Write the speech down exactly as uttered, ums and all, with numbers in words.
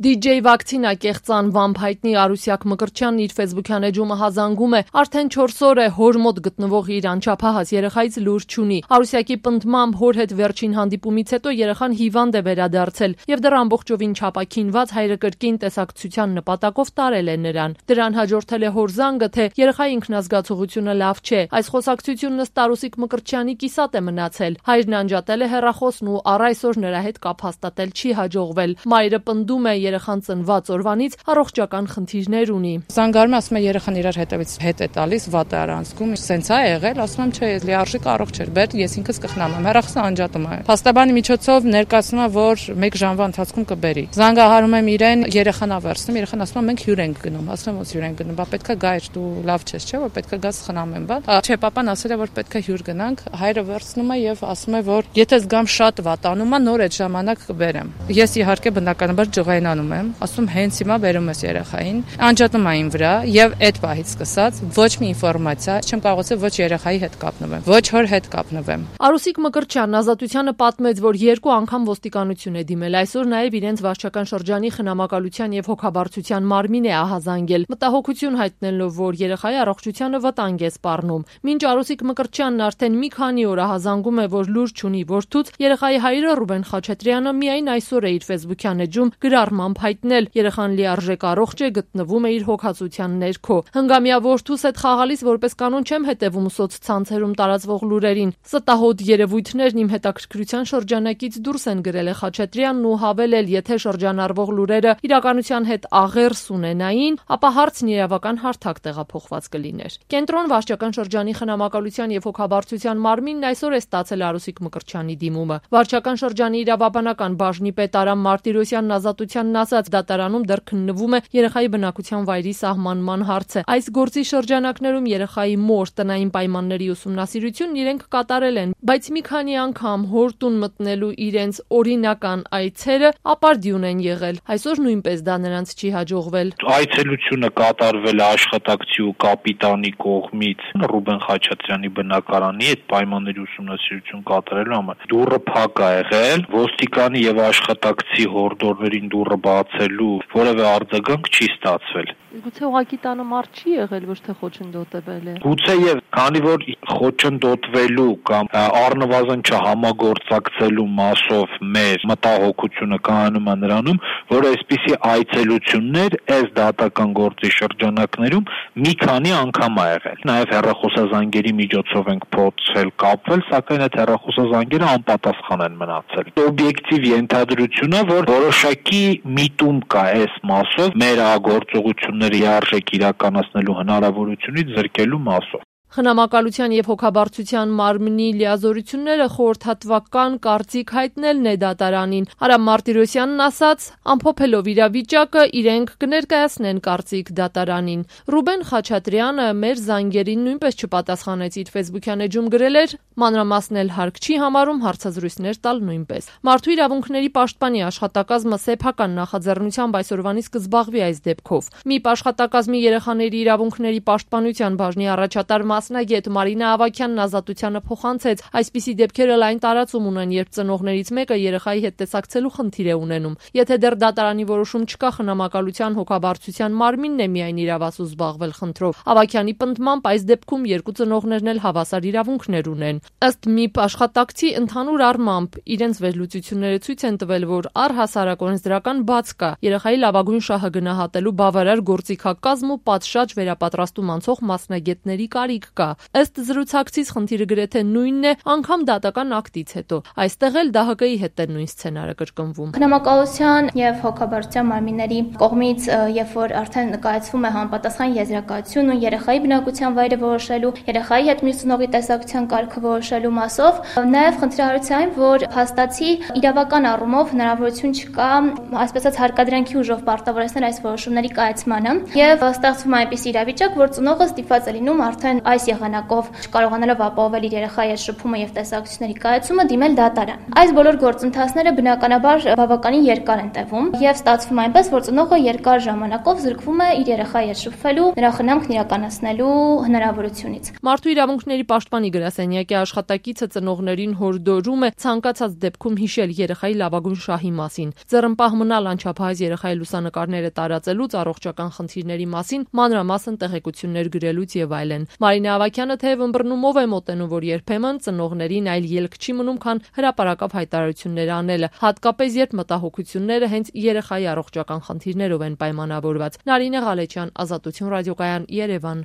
Դիջեյ Վակցինա կեղծան վամբ հայտնի Արուսյակ Մկրտչյանն իր ֆեյսբուքյան էջումը հազանգում է, արդեն չորս օր է հոր մոտ գտնվող իր անչափահաս երեխայից լուր չունի։ Արուսյակի պնդմամբ հոր հետ վերջին հանդիպումից հետո երեխան հիվանդ է վերադարձել եւ դեռ ամբողջովին չապաքինված հայրը կրկին տեսակցության նպատակով տարել է նրան։ Դրան հաջորդել է հոր զանգը, թե երեխայի ինքնազգացողությունը լավ չէ։ Այս խոսակցությունն ըստ Արուսիկ Մկրտչյանի կիսատ է մնացել։ Հայրն անջատել է հեռախոսն ու առ այսօր նրա հետ կապ հաստատել չի հաջողվել։ Մայրը պնդում է երեխան ծնված օրվանից առողջական խնդիրներ ունի։ Զանգարում ասում է երեխան իրար հետևից հետ է տալիս, վատ է առանցքում, սենց է եղել, ասում եմ չէ, լիարժեք առողջ էր, բեր ես ինքս կխնամ եմ, հեռախոսը անջատում է։ Փաստաբանի միջոցով ներկայացնում է, որ մեկ ժամվա ընթացքում կբերի։ Զանգահարում եմ իրեն, երեխան ավերցնում, երեխան ասում է մենք հյուր ենք գնում, ասում եմ ոնց հյուր ենք գնում, բա պետքա գայր, դու լավ չես, չէ՞ որ պետքա գաս խնամեմ, բա։ Չէ, papan ասել է որ պետքա հյուր գնանք, հայրը վերցնում է եւ ասում է որ եթե զգամ շատ վատանում է, նոր այդ ժամանակ կբերեմ։ Ես իհարկե բնականաբար ջղայնանում եմ, ասում հենց հիմա բերում ես երեխային, անջատում այն վրա եւ այդ պահից սկսած ոչ մի ինֆորմացիա չեմ կարողացել ոչ երեխայի հետ կապնվեմ, ոչ հոր հետ կապնվեմ։ Արուսիկ Մկրտչյանն Ազատությանը պատմեց, որ երկու անգամ ոստիկանություն է դիմել, այսօր նաեւ իրենց վարչական շրջանի խնամակալության եւ հոգաբարձության մարմին է ահազանգել, մտահոգություն հայտնելով, որ երեխայի առողջությանը վտանգ է սպառնում։ Մինչ Արուսիկ Մկրտչյանն արդեն մի քանի օր ահազանգում է, որ լուր չունի որդուց, երեխայի հայրը Ռուբեն Խաչատրյանը միայն այսօր է իր ֆեյսբուքյան էջում գրառմամբ հայտնել, երեխան լիարժեք առողջ է, գտնվում է իր հոգացության ներքո։ Հնգամյա որդուս հետ խաղալիս որպես կանոն չեմ հետևում սոցցանցերում տարածվող լուրերին։ Ստահոդ երևույթներն իմ հետաքրքրության շրջանակից դուրս են գրել է Խաչատրյանն ու հավելել, եթե շրջանառվող լուրերը իրականության հետ աղերս ունենային, ապա հարցն իրավական հարթակ տեղափոխված կլիներ։ Կենտրոն վարչական շրջանի խնամակալության եւ հոգաբարձության մարմինն այսօր է ստացել Արուսիկ Մկրտչյանի դիմումը։ Վարչական շրջանի իրավաբանական բաժնի պետ Արամ Մարտիրոսյանն Ազատությանն ասաց, դատարանում դեռ քննվում է երեխայի բնակության վայրի սահմանման հարցը։ Այս գործի շրջանակներում երեխայի մոր տնային պայմանների ուսումնասիրությունն իրենք կատարել են, բայց մի քանի անգամ հորտուն մտնելու իրենց օրինական այցերը ապարդյուն են եղել։ Այսօր նույնպես դա նրանց չի հաջողվել։ Այցելությունը կատարվել է աշխատակցի ու կապիտանի կողմից Ռուբեն Խաչատրյանի բնակարանի այդ պայմանների ուսումնասիրություն կատարելու համար։ Դուռը փակ է եղել, ոստիկանի եւ աշխատակցի հորդորներին դուռը բացելու որևէ արձագանք չի ստացվել։ Գուցե ուղղակի տանը մարդ չի եղել, ոչ թե խոչընդոտվել է։ Գուցե եւ քանի որ խոչընդոտվելու կամ առնվազն չհամագործակցելու մասով մեր մտահոգությունը կայանում է նրանում, որ այսպիսի այցելություններ այս դատական գործի շրջանակներում մի քանի անգամ ա եղել։ Նաեւ հեռախոսազանգերի միջոցով ենք փորձել կապվել, սակայն այդ հեռախոսազանգերը անպատասխան են մնացել։ Օբյեկտիվ ենթադրություն է, որ որոշակի միտում կա այս մասով մեր գործողությունները իարժեք իրականացնելու հնարավորությունից զրկելու մասով։ Խնամակալության եւ հոգաբարձության մարմնի լիազորությունները խորհրդատվական կարծիք հայտնելն է դատարանին։ Արամ Մարտիրոսյանն ասաց, ամփոփելով իրավիճակը, իրենք կներկայացնեն կարծիք դատարանին։ Ռուբեն Խաչատրյանը մեր զանգերին նույնպես չպատասխանեց, իր ֆեյսբուքյան էջում գրել էր, մանրամասնել հարկ չի համարում, հարցազրույցներ տալ նույնպես։ Մարդու իրավունքների պաշտպանի աշխատակազմը սեփական նախաձեռնությամբ այսօրվանից կզբաղվի այս դեպքով։ ՄԻՊ աշխատակազմի երեխաների իրավունքների պաշտպանության բաժնի առաջատար մասնագետ Մարինա Ավագյանն Ազատությանը փոխանցեց, այսպիսի դեպքերը լայն տարածում ունեն, երբ ծնողներից մեկը երեխայի հետ տեսակցելու խնդիր է ունենում։ Եթե դեռ դատարանի որոշում չկա, խնամակալության հոգաբարձության մարմինն է միայն իրավասու զբաղվել խնդրով։ Ավագյանի պնդմամբ այս դեպքում երկու ծնողներն էլ հավասար իրավունքներ ունեն։ Ըստ ՄԻՊ աշխատակցի ընդհանուր առմամբ իրենց վերլուծությունները ցույց են տվել, որ առհասարակ օրենսդրական բաց կա երեխայի լավագույն շահը գնահատելու բավարար գործիքակազմ ու պատշաճ վերապատրաստում անցող մասնագետների կարիք կա։ Ըստ զրուցակցից խնդիրը գրեթե նույնն է, անգամ դատական ակտից հետո։ Այստեղ էլ ԴՀԿ-ի հետ է նույն սցենարը կրկնվում։ Խնամակալության եւ հոգաբարձության մարմինների կողմից, երբ որ արդեն նկայացվում է համապատասխան եզրակացություն ու երեխայի բնակության վայրը որոշելու, երեխայի հետ մյուս ծնողի տեսակցության կարգը որոշելու մասով, նաեւ խնդրահարույց այն, որ փաստացի իրավական առումով հնարավորություն չկա, այսպես ասած, հարկադրանքի ուժով պարտավորեցնել այս որոշումների կայացմանը եւ ստեղծվում է այնպես իրավիճակ, որ ծնողը ստիպված է լինում արդեն այս եղանակով չկարողանալով ապահովել իր երեխայի հետ շփումը եւ տեսակցությունների կայացումը դիմել դատարան։ Այս բոլոր գործընթացները բնականաբար բավականին երկար են տևում եւ ստացվում է այնպես, որ ծնողը երկար ժամանակով զրկվում է իր երեխայի հետ շփվելու, նրա խնամքն իրականացնելու հնարավորությունից։ Մարդու իրավունքների պաշտպանի գրասենյակի աշխատակիցը ծնողներին հորդորում է ցանկացած դեպքում հիշել երեխայի լավագույն շահի մասին, ձեռնպահ մնալ անչափահաս երեխայի լուսանկարները տարածելուց, առողջական խնդիրների մասին, մանրամասն տեղեկություններ գրելուց եւ այլն։ Մարինե Ավագյանը թեև ըմբռնումով է մոտենում, որ երբեմն ծնողներին այլ ելք չի մնում, քան հրապարակավ հայտարարություններ անելը, հատկապես երբ մտահոգությունները հենց երեխայի առողջական խնդիրներով են պայմանավորված։ Նարինե Ղալեչյան, Ազատություն ռադիոկայան, Երևան։